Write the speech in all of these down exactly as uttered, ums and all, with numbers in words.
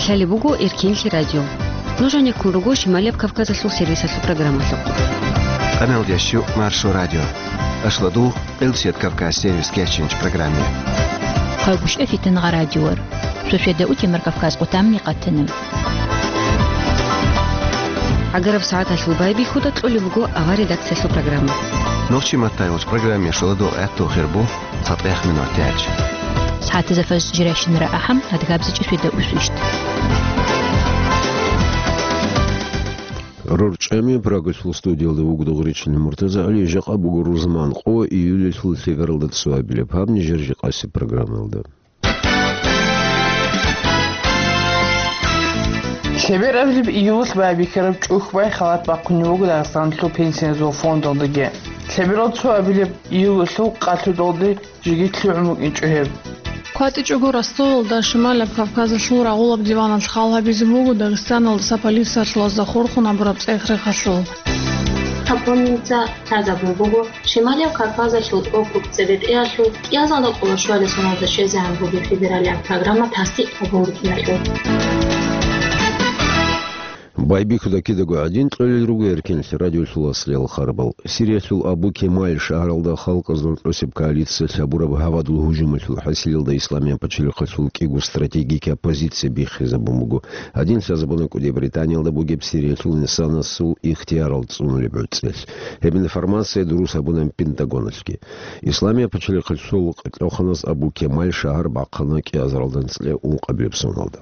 Гьале буго Эркинлъи радио. Нуж гьанеккун руго Шималияб Кавказалъул сервисалъул программалъухъ. Къамел ящу Маршо радио. Ашладу Къилсият Кавказ сервис кечинч программе. Хъайгущ эфитан гъа радиор. Шошеда утимар Кавказ къутамни къатана. Агараб сагӀаталъул байбихьуда кьолеб буго авар редакциялъул программа. Нохчи маттайгъуч программе шоладу гӀатту хирбу. Цадгъяхъ минутач. СагӀатазда фаз жирайщинара ахӀам, адгабзичӀеб шведа усвищт. РорчӀами Прагалъул студиялда вугода гъуричӀни Муртаза ГӀали, жакъа буго рузман къо июльалъул лъегаралда цоабилеб гьаб нижер жакъасеб программаялда. Лъеберабилеб июлалъ байбихьараб чӀухӀбай халат бахъунев вуго Дагъистаналъул пенсиязул фондалдаги. Лъеберал цоабилеб июлалъул къалъудалде жеги лъугӀун букӀинчӀо гьеб. КватӀичӀого Ростовалда Шималаб Кавказалъул рагъулаб диваналъ хал гьабизе буго Дагъистаналдаса полициялъулазда хурхун гьабураб цӀех-рехалъул. Гьаб гьабунца лъазабун буго Шималаб Кавказалъул округ ЦӀебетӀеялъул кӀиазалда къоло щуалесуналда щвезегӀан бугеб федералияб программа тасдикъ гьабун букӀиналъул. Байбихьуда кидаго гӀадин кьолел руго Эркинлъи радиолъул аслиял харбал. Сириялъул Абу Кемаль шагьаралда халкъазул тӀосеб коалиция лъабураб гьавадул гьужумалъул хӀасилалда Исламияб пачалихъалъул кӀиго стратегикаб позиция биххизабун буго. Гьадин лъазабуна кӀуди Британиялда бугеб Сириялъул инсанасул ихтиярал цӀунулеб гӀуцӀрелъ. Гьеб информация дурус гьабуна Пентагоналъги. Исламияб пачалихъалъул къилъухъанас Абу Кемаль шагьар бахъана кӀиазаралда нилъее ункъабилеб соналда.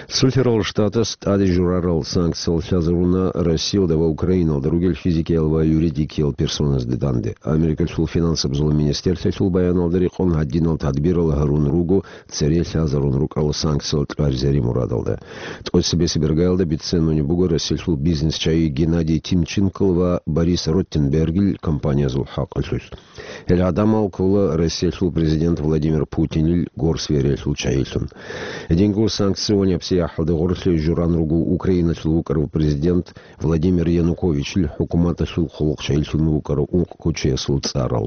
Цолъарал Штатас тӀаде журарал санкциялъ лъазаруна Россиялда ва Украиналда ругел физикиял ва юридикиял персоназде данде. Америкалъул финансабазул министрлъиялъул баяналда рекъон гьадинал тадбирал гьарун руго цере лъазарун рукӀарал санкциялъ кьваризари мурадалда. ТӀоцебесеб иргаялда бицен мунеб буго Россиялъул бизнес-чагьи Геннадий Тимченкол ва Борис Ротенбергил компаниязул хӀакъалъулъ. Гьел гӀадамал ккола Россиялъул президент Владимир Путинил горсвериялъул чагьилъун. Гьединго санкционияб сияхӀалда гъорлъе журан руго Украиналъул вукӀарав президент Владимир Януковичил хӀукуматалъул хъулухъчагьилъун вукӀарав ункъ кочиясул цӀарал.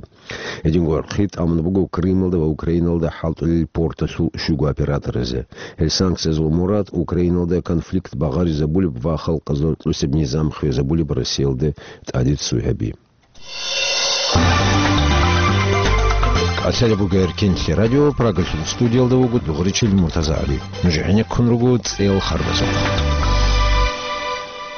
Гьединго гӀорхъи тӀамун буго Крымалда ва Украиналда хӀалтӀулел порталъул щуго операторазе. Гьел санкциязул мурад Украиналда конфликт багъаризабулеб ва халкъазул тӀосеб низам хвезабулеб Россиялде тӀаде ццуй гьаби. Асари буго Эркинлъи радио, Прагалъул студиялда вуго дугъричил Муртаза ГӀали. Нуж гӀенеккун руго цӀел харбазухъ.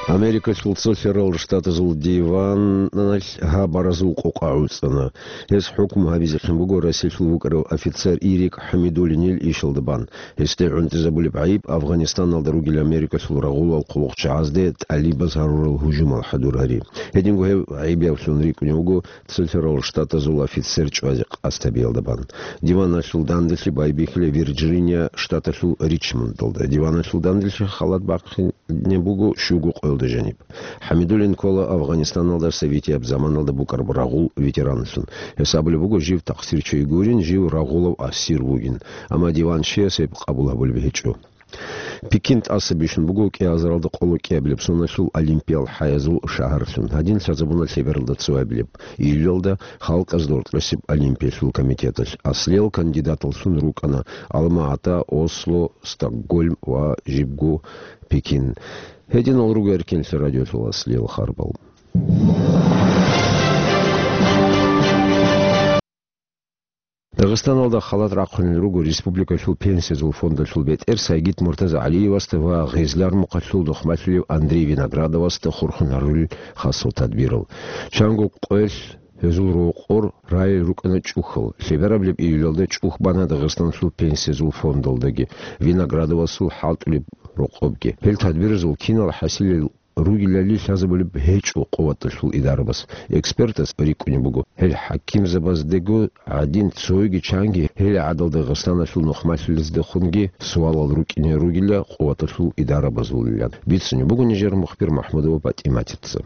Америкалъул цолъарал Штатазул диваналъ гьаб баразул къокъа гӀуцӀана. Гьес хӀукму гьабизехъин буго Россиялъул вукӀарав офицер Ирик ХӀамидуллинил ишалда бан. Гьесде гӀунтӀизабулеб гӀайиб Афгъанистаналда ругел Америкалъул рагъулал хъулухъчагӀазде тӀалибаз гьарурал гьужумал хӀадур гьари. Гьединго гьев гӀайиб явлъун рикӀкӀунев вуго Цолъарал Штатазул офицер чӀвазе къасд гьабиялда бан. Диваналъул данделъи байбихьила Вирджиния штаталъул Ричмондалда. Диваналъул данделъи халат бахъине буго щуго къоялда жаниб. ХӀамидуллин ккола Афгъанистаналда советияб заманалда букӀараб рагъул ветеранлъун. Гьес абулеб буго, жив такъсирчи гурин, жив рагъулав асир вугин, амма диван чияс гьеб къабул гьабулеб гьечӀо. Пекин тӀаса бищун буго кӀиазаралда къоло кӀиабилеб соналъул олимпиял хӀаязул шагьарлъун. Гьадин лъазабуна лъебералда цоабилеб июлалда халкъазда гьоркьосеб олимпиялъул комитеталъ. Аслиял кандидаталлъун рукӀана Алма-Ата, Осло, Стокгольм ва жибго Пекин. Гьединал руго Эркинлъи радиолъул аслиял харбал. Дагъистаналда халат рахъунел руго республикалъул пенсиязул фондалъул бетӀер Сайгид Муртаза ГӀалиевасда ва Гъезлар мухъалъул нухмалъулев Андрей Виноградовасда хурхун гьарулел хасал тадбирал. Чанго къоялъ гьезул рокъор райил рукӀана чӀухьал. Лъеберабилеб июлалда чӀухӀ бана Дагъистаналъул пенсиязул фондалдаги, Виноградовасул хӀалтӀулеб рокъобги. Гьел тадбиразул кинал хӀасилел ругелали лъазабулеб гьечӀо къуваталъул идарабаз. Экспертаз рикӀкӀунеб буго, гьел хӀакимзабаздего гӀадин цойги чанги гьел гӀадал Дагъистаналъул нухмалъулездехунги суалал рукӀине ругила къуваталъул идарабазулилан. Бицунеб буго нижер мухбир МахӀмудова ПатӀиматица.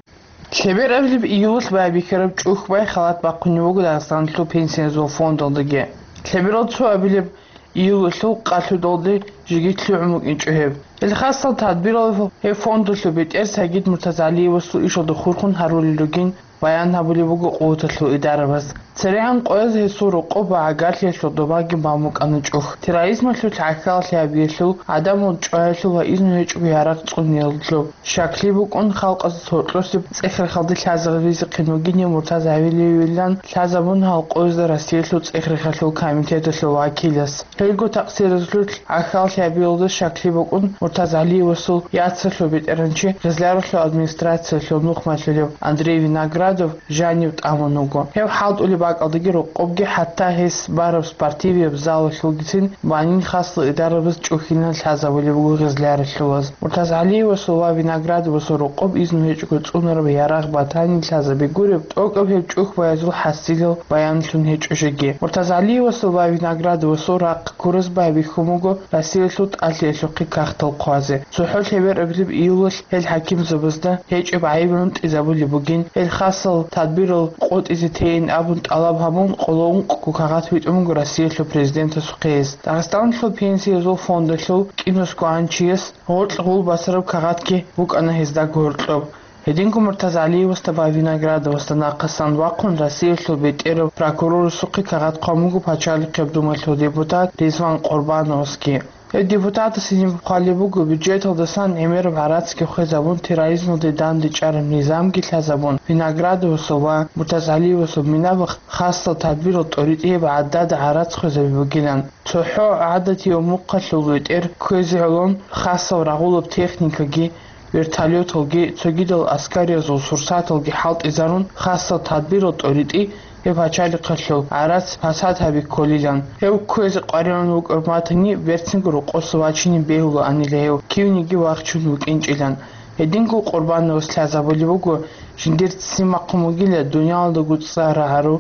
Лъеберабилеб июлалъ байбихьараб чӀухӀбай халат бахъунеб буго Дагъистаналъул пенсиязул фондалдаги. Лъеберал цоабилеб июлалъул къалъудалде жеги лъугӀун букӀинчӀо гьеб. Гьел хасал тадбирал гьеб фондалъул бетӀер Сайгид Муртаза ГӀалиевасул ишалда хурхун гьарулел ругин баян гьабулеб буго къуваталъул идарабаз. ЦерегӀан къояз гьесул рокъоб ва гӀагарлъиялъул добаги бан букӀана чӀухь. Терроризмалъул гӀахьаллъи гьабиялъул, гӀадамал чӀваялъул ва изну гьечӀого ярагъ цӀуниялъул щаклъи букӀун, халкъалъул гьоркьосеб цӀех-рехалде лъазабизехъин вугин Муртаза ГӀалиевилан лъазабун гьал къоязда Россиялъул цӀех-рехалъул комитеталъул вакилас. Гьелго такъсиразулъ гӀахьаллъи гьабиялда щаклъи букӀун, Муртаза ГӀалиевасул яцалъул бетӀергьанчи, Гъизляралъул администрациялъул нухмалъулев Андрей Виноградов жанив тӀамун вуго. Гьев хӀалтӀулеб бакӀалдаги рокъобги, хӀатта гьес бараб спортивияб залалъулгицин банин хасал идарабаз чӀухьилан лъазабулеб буго гъизляралъулаз. Муртаза ГӀалиевасул ва Виноградовасул рокъоб изну гьечӀого цӀунараб ярагъ батани лъазаби гуреб, тӀокӀаб гьеб чӀухь баязул хӀасилал баянлъун гьечӀо жеги. Муртаза ГӀалиевасул ва Виноградовасул рахъ ккураз байбихьун буго Россиялъул тӀалъиялъухъе кагътал хъвазе. ЦохӀо лъеберабилеб июлалъ гьел хӀакимзабазда гьечӀеб гӀайиб гӀунтӀизабулеб бугин, гьел хасал тадбирал къотӀизе тейин абун тӀалаб гьабун, къоло ункъго кагъат витӀун буго Россиялъул президентасухъе гьес. Дагъистаналъул пенсиязул фондалъул кӀинусго гӀанчияс гъоркь гъул басараб кагъатги букӀана гьезда гьоркьоб. Гьединго Муртаза ГӀалиевасда ва Виноградовасда нахъасан вахъун, Россиялъул бетӀерав прокурорасухъе кагъат хъван буго пачалихъияб думалъул депутат Ризван Къурбановасги. Гьев депутатас гьениб хъвалеб буго, бюджеталдасан гӀемераб гӀарацги хвезабун, терроризмалде дандечӀараб низамги лъазабун, Виноградовасул ва Муртаза ГӀалиевасул минаб хасал тадбирал тӀоритӀияб гӀадада гӀарац хвезаби бугилан. ЦохӀо гӀадатияв мухъалъул бетӀер кквезе гӀолон, хасал рагъулаб техникаги, вертолеталги, цогидал аскариязул сурсаталги хӀалтӀизарун, хасал тадбирал тӀоритӀи гьеб пачалихъалъул гӀарац пасад гьаби кколилан. Гьев кквезе къваригӀун вукӀараб матани, берцинго рокъоса вачине бегьулаанила гьев, кивниги вахчун вукӀинчӀилан. Гьединго Къурбановас лъазабулеб буго, жиндир ццин бахъун бугила дуниялалдаго цӀар гьару,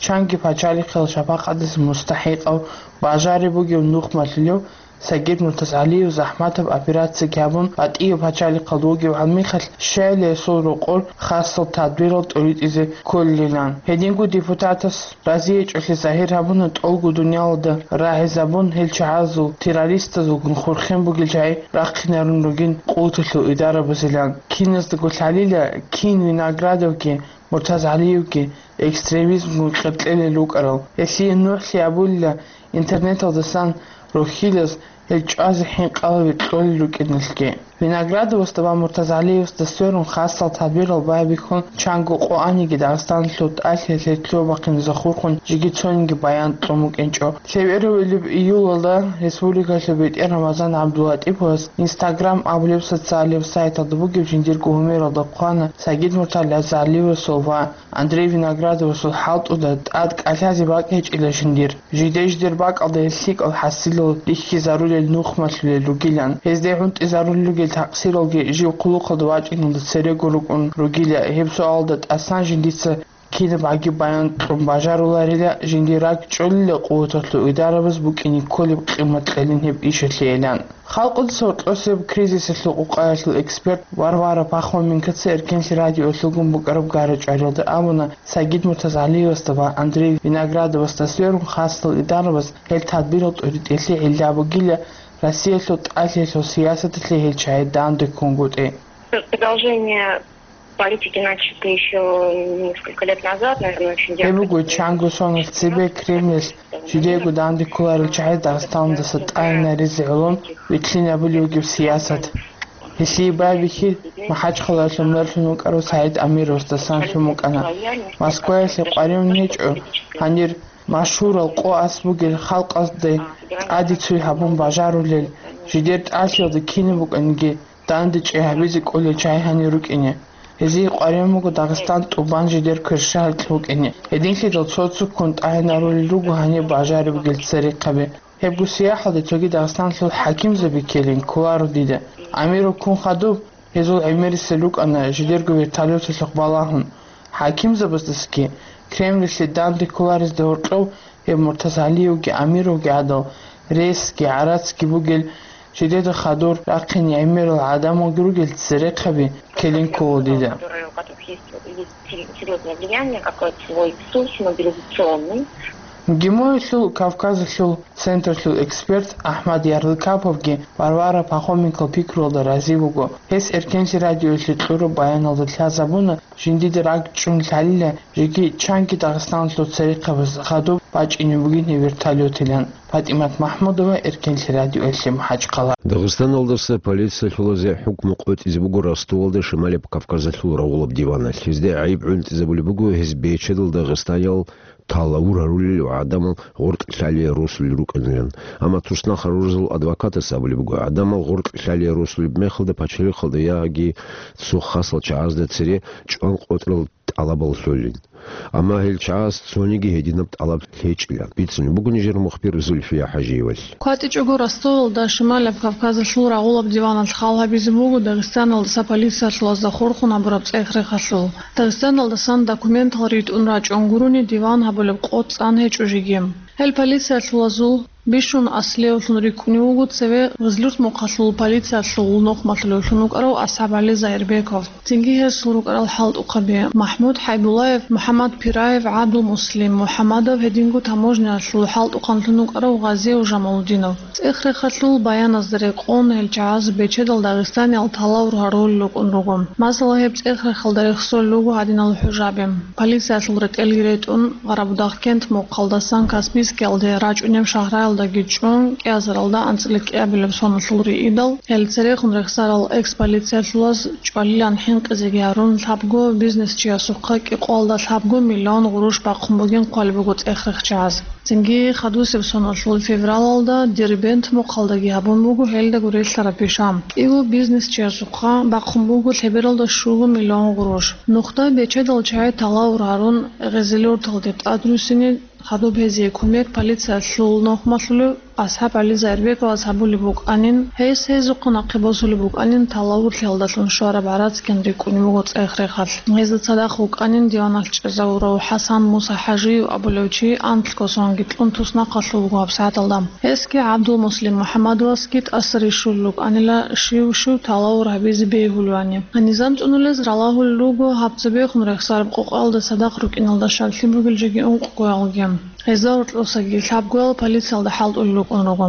чанги пачалихъал шапакъаталъе мустахӀикъав, бажариб бугев нухмалъулев Сагид Муртазгьалиев захӀматаб операциягиябун батӀияб пачалихъалда вугев гьаниб мехалъ щайила гьесул рокъор хасал тадбирал тӀоритӀизе кколилан. Гьединго депутатас разиячӀолъи загьир гьабуна тӀолго дуниялалда рагӀизабун гьел чагӀазул, террористазулгун хурхен бугел чагӀи рахъинарун ругин къуваталъул идарабазилан. Киназдаго лъалила, кин Виноградовги Муртазгьалиевги экстремизмгун къеркьелел рукӀарал. Гьелъие нугӀлъи абулила интернеталдасан рухьилаз гьел чӀвазе хӀинкъалаби кьолел рукӀиналъги. Виноградовасда ва Муртазгьалиевасда сверун хасал тадбирал байбихьун, чанго къо аниги Дагъистаналъул тӀалъиялъе лъугьа-бахъиназда хурхун жеги цониги баян кьун букӀинчӀо. Лъеберабилеб июлалда республикалъул бетӀер Рамазан ГӀабдуллатӀиповас Instagram абулеб социалияб сайталда бугеб жиндирго гьумералда хъвана Сагид Муртазгьалиевасул ва Андрей Виноградовасул хӀалтӀуда тӀад кӀалъазе бакӀ гьечӀила жиндир. Жиде-жидер бакӀалда гьел лъикӀал хӀасилал рихьизарулел нухмалъулел ругилан. Гьезде гӀунтӀизарулел ругел такъсиралги жив хъулухъалда вачӀиналда церего рукӀун ругила. Гьеб суалалда тӀасан жиндица кинаб гӀаги баян кьун бажаруларила, жиндир ракӀчӀолила къуваталъул идарабаз букӀине кколеб къимат кьелин гьеб ишалъейилан. Халкъалъул гьоркьосеб кризисалъул къукъаялъул эксперт Варвара Пахоменкоца Эркенлъи радиоялъулгун букӀараб гара-чӀвариялда абуна, Сагид Муртазгьалиевасда ва Андрей Виноградовасда сверун хасал идарабаз гьел тадбирал тӀоритӀелъе гӀилла бугила Россиялъул тӀалъиялъул сиясаталъе гьел чагӀи данде ккунгутӀи. Продолжение политики, начатой ещё несколько лет назад, наверное, очень ярко. Гьеб буго чанго соналъ цебе Кремльалъ жидеего данде кколарел чагӀи Дагъистаналдаса тӀагӀинаризе гӀолон вилълъинабулев вугев сиясат. Гьелъие байбихьи МахӀачхъалаялъ гьунарлъун вукӀарав СагӀид Амировасдасан лъун букӀана. Москваялъе къваригӀун гьечӀо гьанир машгьурал къо ас бугел халкъазде тӀаде цой гьабун бажарулел, жидер тӀалъиялда кинаб букӀаниги, данде чӀей гьабизе кӀолел чагӀи гьанир рукӀине. Гьезие къваригӀун буго Дагъистан тӀубан жидер кверщаликь букӀине. Гьединлъидал цо-цоккун тӀагӀинарулел руго гьаниб бажариб бугел церехъаби. Гьебго сияхӀалде цоги Дагъистаналъул хӀакимзаби ккелин кколаро дида. Амиров ккун хадуб, гьезул гӀемерисел рукӀана жидерго вертолеталъухъ балагьун. ХӀакимзабаздасаги, Кремльалъе данде кколарезда гьоркьов, гьеб Муртазгьалиевги Амировги гӀадал, ресги гӀарацги бугел, жидеда хадур рахъине гӀемерал гӀадамалги ругел церехъаби ккелин ккола дида. Которые, у которых есть, есть серьёзное влияние, как вот свой ресурс мобилизационный. ГИМО-ялъул Кавказалъул центрлъул эксперт Ахмад Ярлыкаповги Варвара Пахоменкол пикруялда рази вуго. Гьес Эркенлъи радиоялъе кьураб баяналда лъазабуна, жиндида ракӀчӀун лъалила, жеги чанги Дагъистаналъул церехъабаз хадуб бачӀине бугин гьеб вертолётилан. ПатӀимат Махмудова, Эркенлъи радиоялъе, МахӀачхъала. Дагъистаналдаса полициялъулазе хӀукму къотӀизе буго Ростовалда Шималаб Кавказалъул рагъулаб диваналъ. Гьезда гӀайиб гӀунтӀизабулеб буго гьез бечедал дагъистаниял талавур гьарулел ва гӀадамал гъоркь лъалие росулел рукӀанилан. Амма туснахъ гьарурзул адвокатас абулеб буго, гӀадамал гъоркь лъалие росулеб мехалда пачалихъалда яги цо хасал чагӀазда цере чӀван къотӀрал тӀалабал лъолин. Амма гьел чагӀаз цониги гьединаб тӀалаб гьечӀила, бицунеб буго нижер мухбир Зульфия ХӀажиевалъ. КватӀичӀого Ростовалда Шималаб Кавказалъул рагъулаб диваналъ хал гьабизе буго Дагъистаналдаса полициялъулазда хурхун гьабураб цӀех-рехалъул. Дагъистаналдасан документал ритӀун рачӀун гурони диван гьабулеб къо цӀан гьечӀо жеги. Гьел полициялъулазул бищун аслиявлъун рикӀкӀунев вуго цеве Гъизлюрт мухъалъул полициялъул гьунохмалъулевлъун вукӀарав АсхӀаб ГӀали Загьирбеков. Цинги гьесул рукӀарал хӀалтӀухъаби МахӀмуд ХӀайбуллаев, МухӀаммад Пираев, ГӀабдул-Муслим МухӀаммадов, гьединго таможниялъул хӀалтӀухъанлъун вукӀарав Гъазиев Жамалудинов. ЦӀех-рехалъул баяназда рекъон гьел чагӀаз бечедал дагъистаниял талавур гьарулел рукӀун руго. Масала, гьеб цӀех-рехалда рехсолел руго гьадинал хӀужаби. Полициялъул ретӀелги ретӀун, Къарабудагъкент мухъалдасан Каспийскиялде рачӀунеб шагьраялдаги чӀун, кӀиазаралда анцӀила кӀиабилеб соналъул риидал, гьел церехун рехсарал экс-полициялъулаз чӀвалилан хӀинкъизеги гьарун, лъабго бизнесчиясухъа кӀикъоялда лъабго миллион гъурущ бахъун бугин хъвалеб буго цӀех-рех чагӀаз. Цинги хадусеб соналъул февралалда Дербент мухъалдаги гьабун буго гьелдаго релълъараб пиша. КӀиго бизнесчиясухъа бахъун буго лъебералда щуго миллион гъурущ. Нухда бечедал чагӀи талавур гьарун, Гъизлюрталде тӀадруссине хадуб гьезие кумек полициялъул нухмалъулев АсхӀаб ГӀали Загьирбековас гьабулеб букӀанин, гьес гьезухъа нахъе босулеб букӀанин, талавурлъиялдалъун щвараб гӀарацгин рикӀкӀунеб буго цӀех-рехалъ. Гьезда цадахъ вукӀанин диваналъ чӀезавурав ХӀасан Муса ХӀажиев абулев чи анлъго сонги кьун туснахъалъув вуго гьабсагӀаталда. Гьесги ГӀабдул-Муслим МухӀаммадовасги тӀаса рищулел рукӀанила щив-щив талавур гьабизе бегьулевани. Гьанизан цӀунулез ралагьулел руго гьаб цебехун рехсараб къокъаялда цадахъ рукӀиналда щаблъи бугел жеги ункъгоялги. Гьезда гьоркьосаги лъабгоял полициялда хӀалтӀулел рукӀун руго.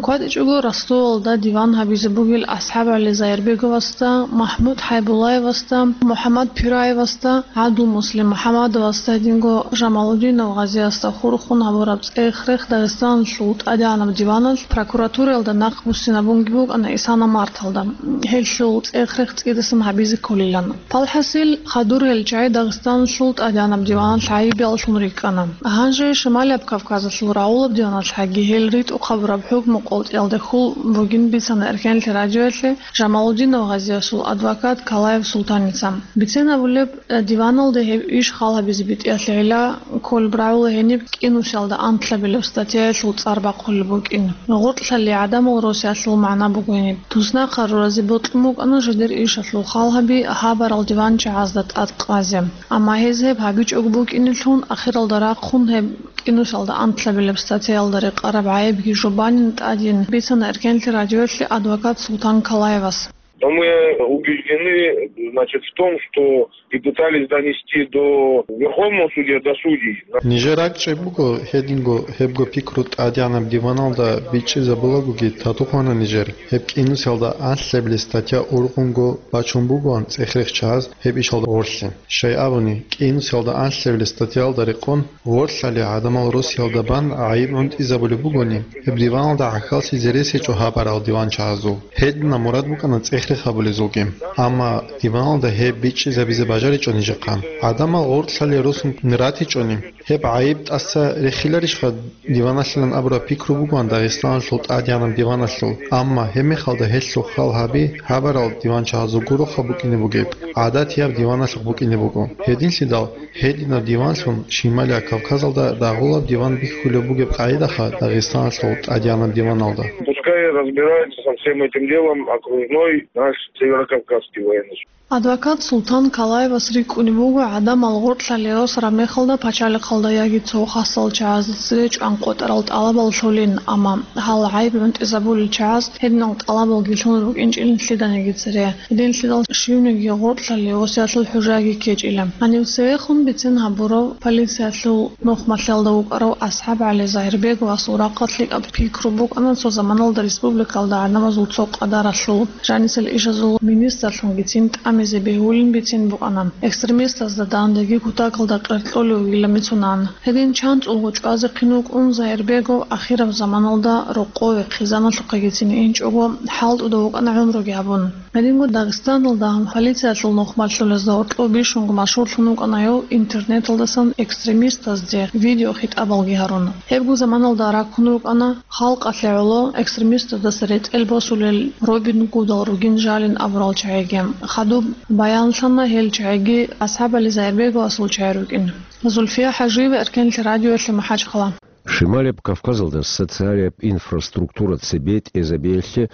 КватӀичӀого Ростовалда диван гьабизе бугел АсхӀаб ГӀали Загьирбековасда, МахӀмуд ХӀайбуллаевасда, МухӀаммад Пираевасда, ГӀабдул-Муслим МухӀаммадовасда, гьединго Жамалудинов Гъазиясда хурхун гьабураб цӀех-рех Дагъистаналъул ТӀадегӀанаб диваналъ прокуратураялда нахъ буссинабунги букӀана исана марталда, гьелъул цӀех-рех цӀидасан гьабизе кколилан. Палхасил, хадур гьел чагӀи Дагъистаналъул ТӀадегӀанаб диваналъ гӀайибияллъун рикӀкӀана. Гьанже Шималияб Кавказалъул рагъулаб диваналъ гьаги гьел ритӀухъ гьабураб хӀукму къотӀиялда хьул бугин бицана Эркенлъи радиоялъе Жамалудинов Гъазиясул адвокат Калаев Султаница. Бицен абулеб, диваналда гьеб иш хал гьабизе битӀиялъе гӀела кколеб рагӀула гьениб кӀинусиялда анлъабилеб статьяялъул цӀар бахъулеб букӀин. Гъоркьлъали гӀадамал росиялъул магӀна буго гьениб. Туснахъ гьаруразе бокьун букӀана жидер ишалъул хал гьаби гьабарал диван чагӀазда тӀад къазе. Амма гьез гьеб гьабичӀого букӀинелъун, ахиралда рахъун гьеб кӀинусиялда анлъабилеб статьяялда рекъараб гӀайибги жубанин тӀадин бицана Эркенлъи радиоялъе адвокат Султан Калаевас. Но мы убеждены, значит, в том, что и пытались донести до Верховного судьи, до судей. Нижер ракӀчӀеб буго, гьединго гьебго пикру ТӀадегӀанаб диваналда бичӀчӀизабулагоги татухъана нижер. Гьеб кӀинусиялда анлъабилеб статья ургъунго бачун бугоан цӀех-рех чагӀаз гьеб ишалда гъорлъе. Щай абуни, кӀинусиялда анлъабилеб статьяялда рекъон, гъорлъали гӀадамал росиялда бан гӀайиб гӀунтӀизабулеб бугони, гьеб диваналда гӀахьаллъизе рес гьечӀо гьабарал диван чагӀазул. Гьединаб мурад букӀана цӀех-рех гьабулезулги. Амма диваналда гьеб бичӀчӀизабизе бажаричӀо нижехъан. ГӀадамал гъоркьлъали росун ратичӀони, гьеб гӀайиб тӀаса рехиларищха диваналъилан абураб пикру бугоан Дагъистаналъул ТӀадегӀанаб диваналъул. Амма гьебмехалда гьелъул хал гьаби гьабарал диван чагӀазул гуроха букӀине бугеб, гӀадатияб диваналъухъ букӀине буго. Гьединлъидал, гьединаб диванлъун Шималияб Кавказалда рагъулаб диван бихьулеб бугеб къагӀидаха Дагъистаналъул ТӀадегӀанаб диваналда. Пускай разбирается со всем этим делом окружной наш Северокавказский военный суд. Адвокат Султан Калаев Вас рикӀкӀунеб буго гӀадамал гъоркьалъе росараб мехалда пачалихъалда яги цо хасал чагӀазда цере чӀван къотӀарал тӀалабал лъолин, амма гьал гӀайиб гӀунтӀизабулел чагӀаз гьединал тӀалабалги лъун рукӀинчӀилин лъиданиги цере. Гьединлъидал щивниги гъоркьалъе осиялъул хӀужаги ккечӀила. Гьанив цевехун бицен гьабурав полициялъул нухмалъиялда вукӀарав АсхӀаб ГӀали Загьирбеговасул рахъалъ лъикӀаб пикру букӀана цо заманалда республикалда гӀадамазул цо къадаралъул жанисел ишазул министрлъунгицин тӀамизе бегьулин бицин букӀана. Экстремистазда дандаги кутакалда къеркьолев вугилан бицунан. Гьедин чанцӀулго чӀвазехъин вукӀун Загьирбегов ахираб заманалда рокъове хъизаналъухъегицин инчӀого хӀалтӀуда вукӀана гӀумруги гьабун. Гьединго Дагъистаналда полициялъул нухмалъулезда гьоркьоб бищунго машгьурлъун вукӀанайо интернеталдасан экстремистазде видеохитӀабалги гьарун. Гьебго заманалда раккун рукӀана халкъалъе гӀоло экстремистаздаса ретӀел босулел Робин Гудал ругин жалин абурал чагӀиги. Хадуб баянлъана гьел чагӀиги АсхӀаб ГӀали Загьирбеговасул чагӀи рукӀин. Зульфия ХӀажиева, Эркенлъи радиоялъе, МахӀачхъала. Шималияб Кавказалда социалияб инфраструктура цебетӀезабиялъе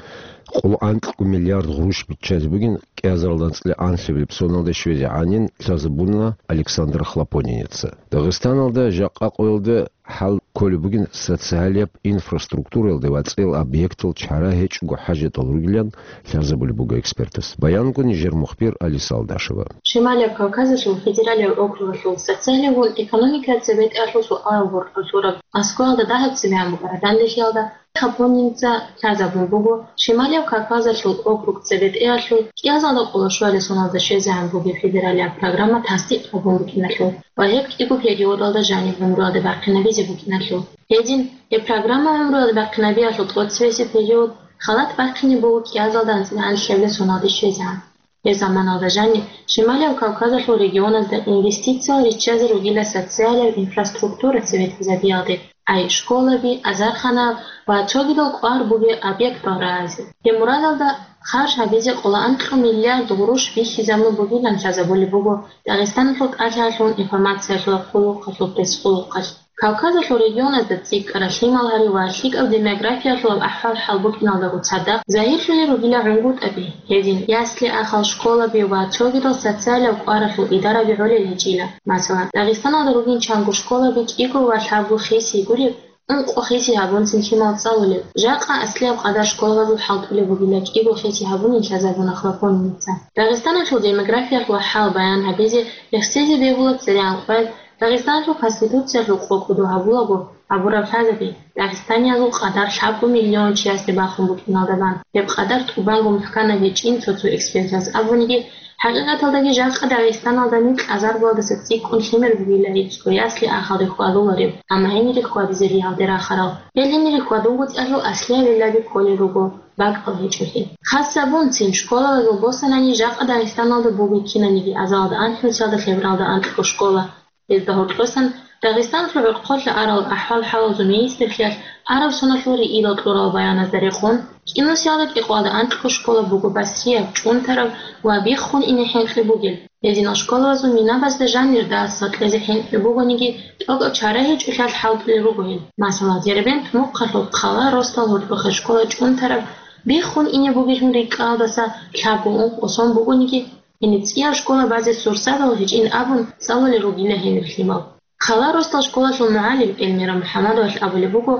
къоло анкьго миллиард гъурущ биччазе бугин кӀиазаралда анцӀила анлъабилеб соналда щвезе гӀанин лъазабуна Александр Хлопонинеца. Дагъистаналда жакъа къоялда хӀал кколеб бугин социалияб инфраструктураялда ва цӀел объектал чара гьечӀого хӀажатал ругилан лъазабулеб буго экспертас. Баянго нижер мухбир Алиса Алдашева. Шималияб Кавказалъул федералияб округалъул социалияб ва экономикияб цебетӀиялъул суалал гъоркьо лъураб Москваялда дагьаб цебегӀан букӀараб данделъиялда Хлопонинца лъазабун буго, Шималияб Кавказалъул округ цебетӀиялъул кӀиазалда къоло щуялъул соналда щвезегӀан бугеб федералияб программа тасдикъ гьабун букӀиналъул ва гьеб кӀиго периодалда жаниб гӀумруялда бахъинабизе букӀиналъул. Гьедин, гьеб программа гӀумруялда бахъинабиялъул тӀоцебесеб период халат бахъине буго кӀиазалда анцӀила анлъабилеб соналде щвезегӀан. Гьеб заманалда жаниб Шималияб Кавказалъул регионазда инвестициял риччазе ругила социалияб инфраструктура цебетӀезабиялде, ай школаби, азархана ва цогидал кӀвар бугеб объектал рагӀазе. Гьеб мурадалда харж гьабизе къоло анкьго миллиард гъурущ бихьизабун бугилан лъазабулеб буго Дагъистаналъул тӀалъаялъул информациялъул къуллукъалъул пресс-къуллукъалъ. Кавказалъул регионазда цӀикӀкӀараб лъимал гьари ва лъикӀаб демографиялъулаб ахӀвал-хӀал букӀиналдаго цадахъ загьирлъулел ругила гӀунгутӀаби, гьедин ясли-ахал, школаби ва цогидал социалияб кӀваралъул идараби гӀолел гьечӀила. Масала, Дагъистаналда ругин чанго школаби кӀиго ва лъабго хиси гуреб, ункъо хиси гьабунцин лъимал цӀалулеб. Жакъа аслияб къадар школабазул хӀалтӀулеб бугила кӀиго хиси гьабунин лъазабуна Хлопонинца. Дагъистаналъул демографиялъул хӀал баян гьабизе, рехсезе бегьула цере анкъвай Дагъистаналъул Конституциялъул къо-, кӀодо гьабулаго гьабураб лъазаби, дагъистаниязул къадар лъабго миллион чиясде бахун букӀиналда бан. Гьеб къадар тӀубанго мухӀканаб гьечӀин цо-цо экспертаз абуниги, хӀакъикъаталдаги жакъа Дагъистаналда микь азаргоялдаса цӀикӀкӀун лъимер бугила гӀицӀго ясли-ахалде хьвадулареб, амма гьенире хьвадизе ригьалде рахарал. Гьел гьенире хьвадунгутӀиялъул аслияб гӀиллаби кколел руго, бакӀал гьечӀолъи. Хасабунцин школалазул босанани жакъа Дагъистаналда бугеб кинаниги азалда анлънусиялда лъебералда анкьго школа. Гьезда гьоркьосан Дагъистаналъул гӀорхъолъа арал ахӀвал-хӀалалзул министрлъиялъ араб соналъул риидал кьурал баяназда рекъон, кӀинусиялда кӀикъоялда анкьго школа буго басрияб, чӀунтараб ва биххун ине хӀинкъи бугел. Гьединал школалазул минабазда жанир дагьаб кьезе хӀинкъи бугониги, тӀокӀаб чара гьечӀолъиялъ хӀалтӀулел руго гьел. Масала, Дербент мухъалъул Хъала росдал гьоркьохъеб школа чӀунтараб, биххун ине бугелъун рикӀкӀалдаса лъабго-ункъо сон бугониги, гьениб цӀияв школа базе сурсадал гьечӀин абун цӀалулел ругила гьениб лъимал. Хъала росдал школалъул мугӀалим Эльмира МухӀаммадовалъ абулеб буго,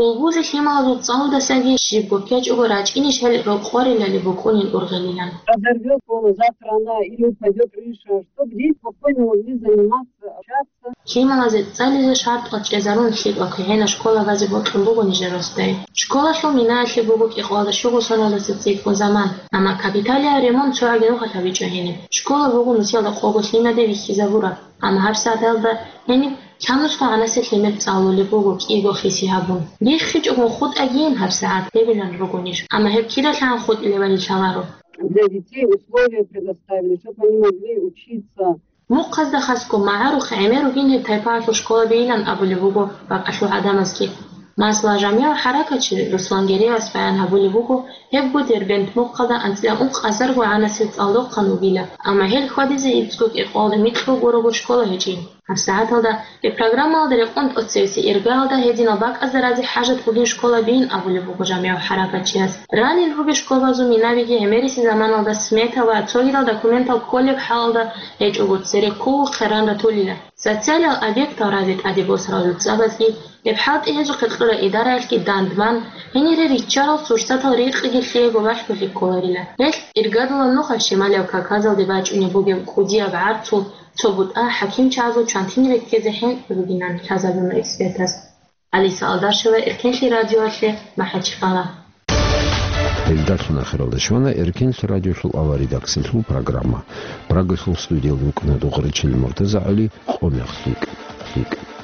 улбузе лъималазул цӀалулдасаги щибго ккечӀого рачӀинищ гьел рокъорилали букӀунин ургъелилан. Разорвёт школу, завтра она или упадёт крыша, чтобы дети спокойно могли заниматься, общаться. Лъималазе цӀализе шартӀал чӀезарун лъикӀал квегӀенав школа базе бокьун буго нижер росдай. Школалъул минаялъе буго кӀикъоялда щуго соналдаса цӀикӀкӀун заман, амма капиталияб ремонт цогӀаги нухалъ гьабичӀо гьениб. Школа буго нусиялда къого лъимаде вихьизабураб, амма гьабсагӀаталда гьениб лъабнусго гӀанасеб лъимер цӀалулеб буго кӀиго хиси гьабун. БиххичӀого хутӀагийин гьабсагӀат, гьебилан ругонищ, амма гьеб кидалъан хутӀилебали лъаларо. Для детей условия предоставили, чтобы они могли учиться. Мухъазда хасго магӀарухъ гӀемер ругин гьеб тайпаялъул школабийилан абулеб буго бакӀалъул гӀадамазги. Масала, жамигӀ хӀаракатчи Руслан Гереевас баян гьабулеб буго, гьебго Дербент мухъалда анцӀила ункъазарго гӀанасел цӀалдохъан вугила, амма гьел хьвадизе ибцго кӀикъоялда микьго гурого школа гьечӀин. ГьабсагӀаталда гьеб программаялда рекъон тӀоцевесеб иргаялда гьединал бакӀазда разе хӀажат бугин школабийин абулеб буго жамигӀ хӀаракатчияс. Ранил ругел школабазул минабиги гӀемериси заманалда смета ва цогидал документал кколеб хӀалалда гьечӀого, цере кколухъе ран ратулила. Социалиял объектал разе тӀаде босарал нуцӀабазги, гьеб хӀалтӀи гьезухъе кьурал идараялъги дандман, гьенире риччарал сурсатал рекъиги лъиего балъголъи кколарила. Гьелъ иргадулаб нухалъ Шималияб Кавказалде бачӀунеб бугеб кӀудияб гӀарцул цо бутӀа хӀакимчагӀазул чантине реккезе хӀинкъи бугинан лъазабуна экспертаз. Алиса Алдашева, Эркенлъи радиоялъе, МахӀачхъала. Гьелдалъун ахиралда щвана Эркенлъи радиолъул авария даксилъул программа. Прагалъул студиялда вукӀана Дугъричил Муртаза ГӀали, къо мех лъикӀ, лъикӀ.